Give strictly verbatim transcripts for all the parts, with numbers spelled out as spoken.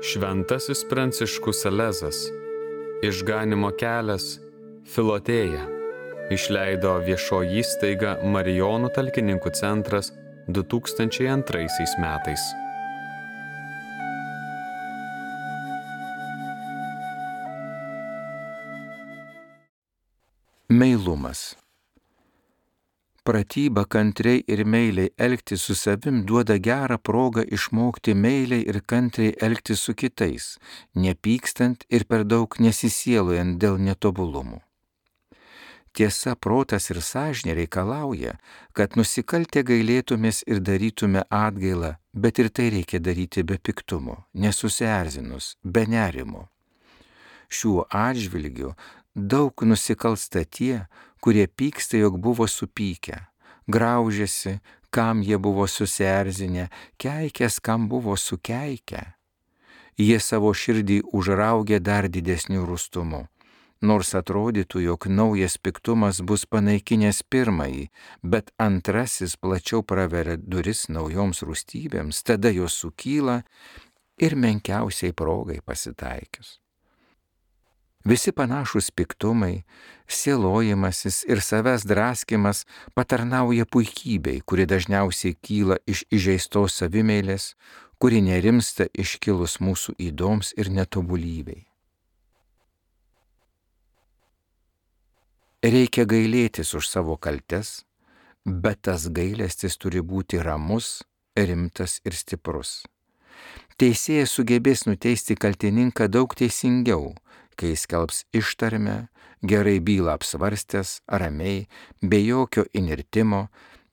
Šventasis Pranciškus Salezas, Išganymo kelias, Filotėja, išleido viešoji įstaiga Marijonų talkininkų centras du tūkstančiai antraisiais metais. Meilumas. Pratyba kantriai ir meiliai elgtis su savim duoda gerą progą išmokti meiliai ir kantriai elgtis su kitais, nepykstant ir per daug nesisielojant dėl netobulumų. Tiesa, protas ir sąžinė reikalauja, kad nusikaltę gailėtumės ir darytume atgailą, bet ir tai reikia daryti be piktumo, nesusierzinus, be nerimo. Šiuo atžvilgiu daug nusikalsta tie, kurie pyksta, jog buvo supykę, graužiasi, kam jie buvo susierzinę, keikės, kam buvo sukeikę. Jie savo širdį užraugė dar didesniu rūstumu, nors atrodytų, jog naujas piktumas bus panaikinęs pirmąjį, bet antrasis plačiau praveria duris naujoms rūstybėms, tada jos sukyla ir menkiausiai progai pasitaikius. Visi panašūs piktumai, sielojimasis ir savęs draskimas patarnauja puikybei, kuri dažniausiai kyla iš įžeistos savimeilės, kuri nerimsta iškilus mūsų ydoms ir netobulybei. Reikia gailėtis už savo kaltes, bet tas gailestis turi būti ramus, rimtas ir stiprus. Teisėjas sugebės nuteisti kaltininką daug teisingiau, kai skelbs ištarmę, gerai bylą apsvarstęs, ramiai, be jokio inirtimo,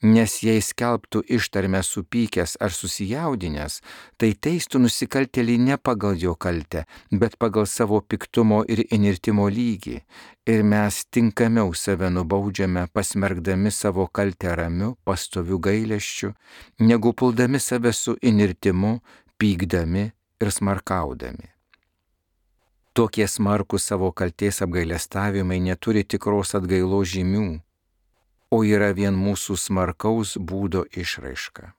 nes jei skelbtų ištarmę supykęs ar susijaudinęs, tai teistų nusikaltėlį ne pagal jo kaltę, bet pagal savo piktumo ir inirtimo lygį, ir mes tinkamiau save nubaudžiame, pasmergdami savo kaltę ramiu, pastoviu gailesčiu, negu puldami save su inirtimu, pykdami ir smarkaudami. Tokie smarkūs savo kaltės apgailestavimai neturi tikros atgailos žymių, o yra vien mūsų smarkaus būdo išraiška.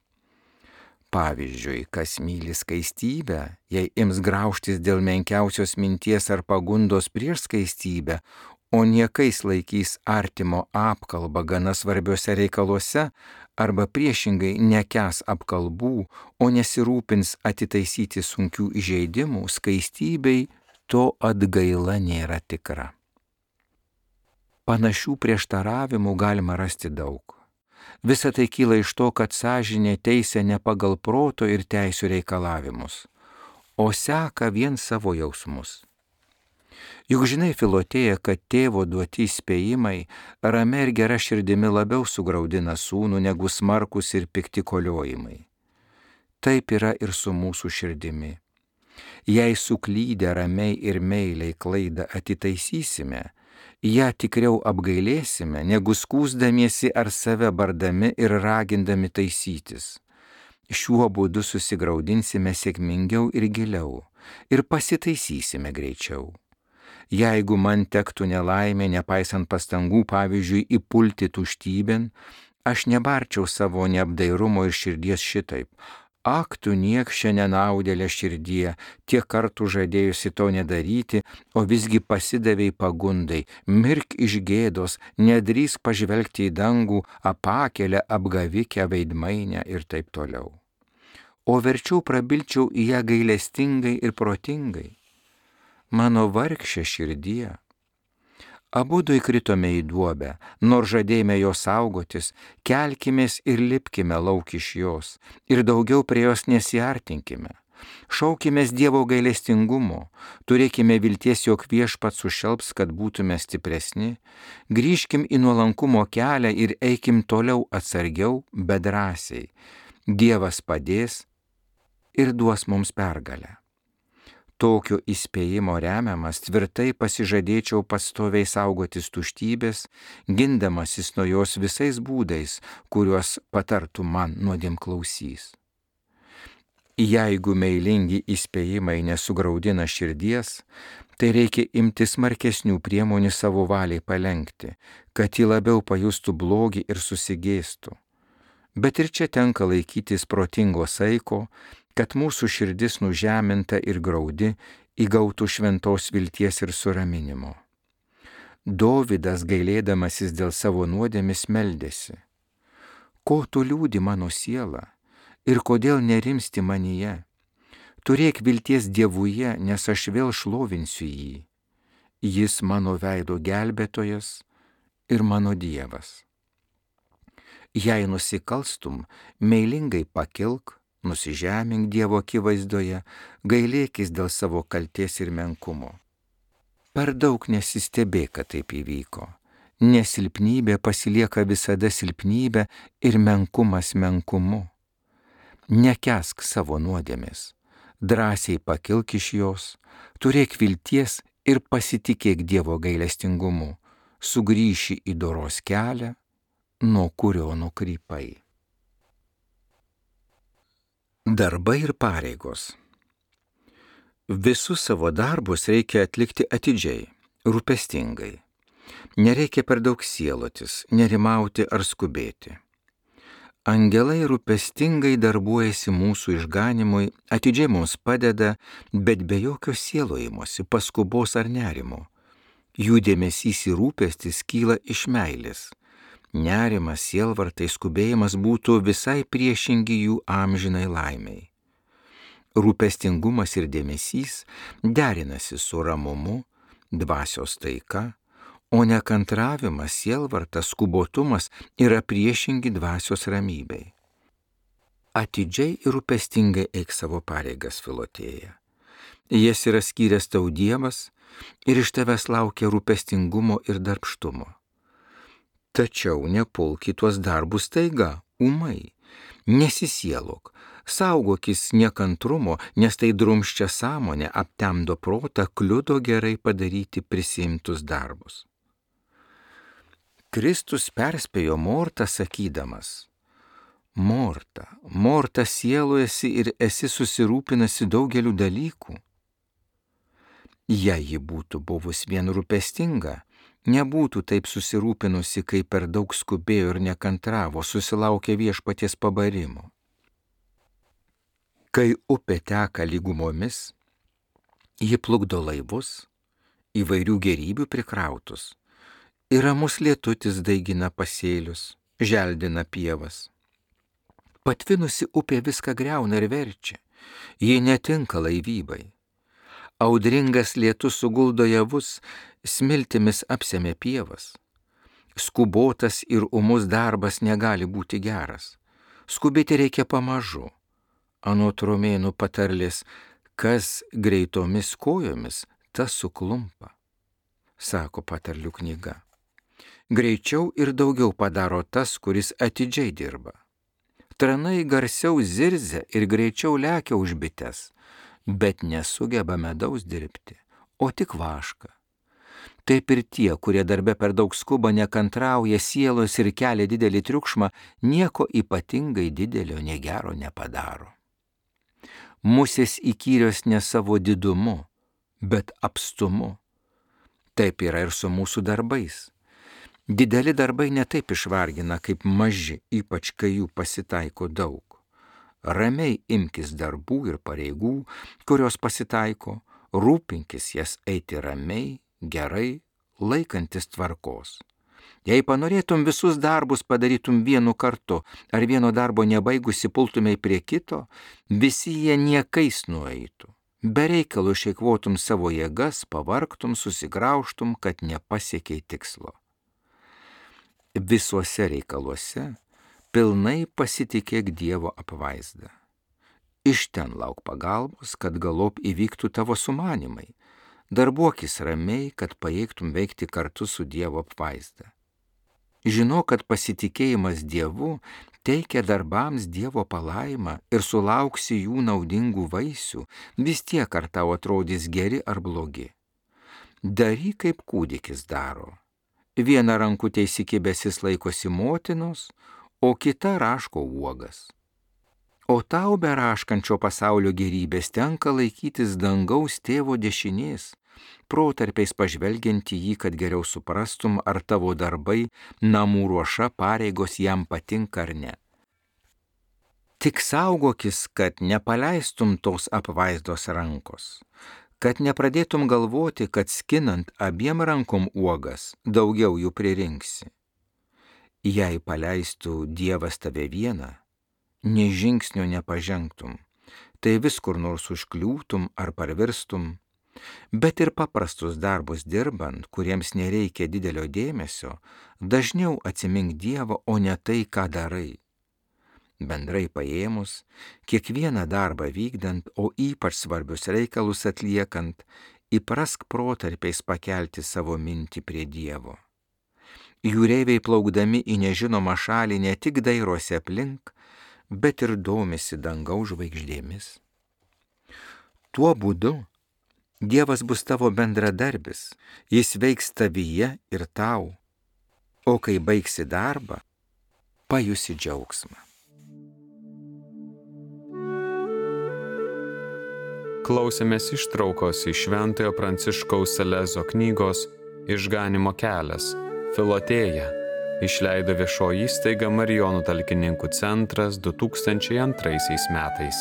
Pavyzdžiui, kas myli skaistybę, jei ims graužtis dėl menkiausios minties ar pagundos prieš skaistybę, o niekais laikys artimo apkalbą gana svarbiuose reikaluose, arba priešingai nekęs apkalbų, o nesirūpins atitaisyti sunkių įžeidimų, skaistybei to atgaila nėra tikra. Panašių prieštaravimų galima rasti daug. Visa tai kyla iš to, kad sąžinė teisia ne pagal proto ir teisių reikalavimus, o seka vien savo jausmus. Juk žinai, Filotėja, kad tėvo duoti įspėjimai ramia ir gera širdimi labiau sugraudina sūnų negu smarkus ir pikti koliojimai. Taip yra ir su mūsų širdimi. Jei suklydę ramiai ir meiliai klaidą atitaisysime, ją tikriau apgailėsime, negu skųsdamiesi ar save bardami ir ragindami taisytis. Šiuo būdu susigraudinsime sėkmingiau ir giliau ir pasitaisysime greičiau. Jeigu man tektų nelaimė, nepaisant pastangų, pavyzdžiui, įpulti tuštybėn, aš nebarčiau savo neapdairumo ir širdies šitaip. Ak, tu niekšė nenaudėlė širdie, tiek kartų žadėjusi to nedaryti, o visgi pasidavei pagundai, mirk iš gėdos, nedrįsk pažvelgti į dangų, apakėlę, apgavikę, veidmainę ir taip toliau. O verčiau prabilčiau į ją gailestingai ir protingai. Mano vargšė širdie. Abudu įkritome į duobę, nors žadėjome jos saugotis, kelkimės ir lipkime lauk iš jos, ir daugiau prie jos nesiartinkime. Šaukimės Dievo gailestingumo, turėkime vilties, jog Viešpats sušelps, kad būtume stipresni, grįžkim į nuolankumo kelią ir eikim toliau atsargiau, bet drąsiai. Dievas padės ir duos mums pergalę. Tokio įspėjimo remiamas tvirtai pasižadėčiau pastoviai saugotis tuštybės, gindamasis nuo jos visais būdais, kuriuos patartų man nuodėmklausys. Jeigu meilingi įspėjimai nesugraudina širdies, tai reikia imtis smarkesnių priemonių savo valiai palenkti, kad ji labiau pajustų blogį ir susigėstų. Bet ir čia tenka laikytis protingo saiko, kad mūsų širdis nužeminta ir graudi įgautų šventos vilties ir suraminimo. Dovydas, gailėdamasis dėl savo nuodėmės, meldėsi: ko tu liūdi mano siela ir kodėl nerimsti manyje? Turėk vilties Dievuje, nes aš vėl šlovinsiu jį. Jis mano veido gelbėtojas ir mano Dievas. Jei nusikalstum, meilingai pakilk, nusižemink Dievo akivaizdoje, gailėkis dėl savo kaltės ir menkumo. Per daug nesistebėk, kad taip įvyko. Nesilpnybė pasilieka visada silpnybė ir menkumas menkumu. Nekęsk savo nuodėmės, drąsiai pakilk iš jos, turėk vilties ir pasitikėk Dievo gailestingumu, sugrįši į doros kelią, nuo kurio nukrypai. Darbai ir pareigos. Visus savo darbus reikia atlikti atidžiai, rūpestingai. Nereikia per daug sielotis, nerimauti ar skubėti. Angelai rūpestingai darbuojasi mūsų išganimui, atidžiai mums padeda, bet be jokio sielojimosi, paskubos ar nerimo. Jų dėmesys ir rūpestis kyla iš meilės. Nerimas, sielvartai, skubėjimas būtų visai priešingi jų amžinai laimiai. Rūpestingumas ir dėmesys derinasi su ramumu, dvasios taika, o nekantravimas, sielvartas, skubotumas yra priešingi dvasios ramybei. Atidžiai ir rūpestingai eik savo pareigas, Filotėja. Jas yra skyręs tau Dievas ir iš tavęs laukia rūpestingumo ir darbštumo. Tačiau nepulk į tuos darbus taiga, ūmai. Nesisielok, saugokis nekantrumo, nes tai drumsčia sąmonę, aptemdo protą, kliudo gerai padaryti prisiimtus darbus. Kristus perspėjo Mortą sakydamas: Morta, Morta, sielojasi ir esi susirūpinasi daugeliu dalykų. Jei ji būtų buvus vien rūpestinga, nebūtų taip susirūpinusi, kai per daug skubėjo ir nekantravo, susilaukė viešpaties pabarimo. Kai upė teka lygumomis, ji plukdo laivus, įvairių gerybių prikrautus, ir ramus lietutis daigina pasėlius, želdina pievas. Patvinusi upė viską griauna ir verčia, ji netinka laivybai. Audringas lietus suguldo javus, smiltimis apsemia pievas. Skubotas ir ūmus darbas negali būti geras. Skubėti reikia pamažu. Anot romėnų patarlės, kas greitomis kojomis, tas suklumpa, sako patarlių knyga. Greičiau ir daugiau padaro tas, kuris atidžiai dirba. Tranai garsiau zirzia ir greičiau lekia už bites, bet nesugeba medaus dirbti, o tik vašką. Taip ir tie, kurie darbe per daug skuba, nekantrauja, sielos ir kelia didelį triukšmą, nieko ypatingai didelio negero nepadaro. Musės įkyrios ne savo didumu, bet apstumu. Taip yra ir su mūsų darbais. Dideli darbai netaip išvargina kaip maži, ypač kai jų pasitaiko daug. Ramiai imkis darbų ir pareigų, kurios pasitaiko, rūpinkis jas eiti ramiai, gerai, laikantis tvarkos. Jei panorėtum visus darbus padarytum vienu kartu, ar vieno darbo nebaigusi pultumei prie kito, visi jie niekais nueitų. Be reikalo išeikvotum savo jėgas, pavargtum, susigraužtum, kad nepasiekiai tikslo. Visuose reikaluose pilnai pasitikėk Dievo apvaizdą. Iš ten lauk pagalbos, kad galop įvyktų tavo sumanimai. Darbuokis ramiai, kad pajėgtum veikti kartu su Dievo apvaizda. Žinok, kad pasitikėjimas Dievu teikia darbams Dievo palaimą ir sulauksi jų naudingų vaisių, vis tiek ar tau atrodys geri ar blogi. Daryk, kaip kūdikis daro. Viena rankutė įsikibęsis laikosi motinos, o kita raško uogas. O tau be raškančio pasaulio gerybės tenka laikytis dangaus tėvo dešinės, protarpiais pažvelgiant į jį, kad geriau suprastum, ar tavo darbai, namų ruoša, pareigos jam patinka ar ne. Tik saugokis, kad nepaleistum tos apvaizdos rankos, kad nepradėtum galvoti, kad skinant abiem rankom uogas daugiau jų pririnksi. Jei paleistų Dievas tave vieną, nė žingsnio nepažengtum, tai vis kur nors užkliūtum ar parvirstum, bet ir paprastus darbus dirbant, kuriems nereikia didelio dėmesio, dažniau atsimink Dievą, o ne tai, ką darai. Bendrai paėmus, kiekvieną darbą vykdant, o ypač svarbius reikalus atliekant, įprask protarpiais pakelti savo mintį prie Dievo. Jūreiviai plaukdami į nežinomą šalį ne tik dairosi aplink, bet ir domisi dangaus žvaigždėmis. Tuo būdu Dievas bus tavo bendradarbis, jis veiks tavyje ir tau, o kai baigsi darbą, pajusi džiaugsmą. Klausėmės ištraukos iš Šventojo Pranciškaus Salezo knygos Išganymo kelias, Filotėja, išleido viešoji įstaiga Marijonų talkininkų centras du tūkstančiai antraisiais metais.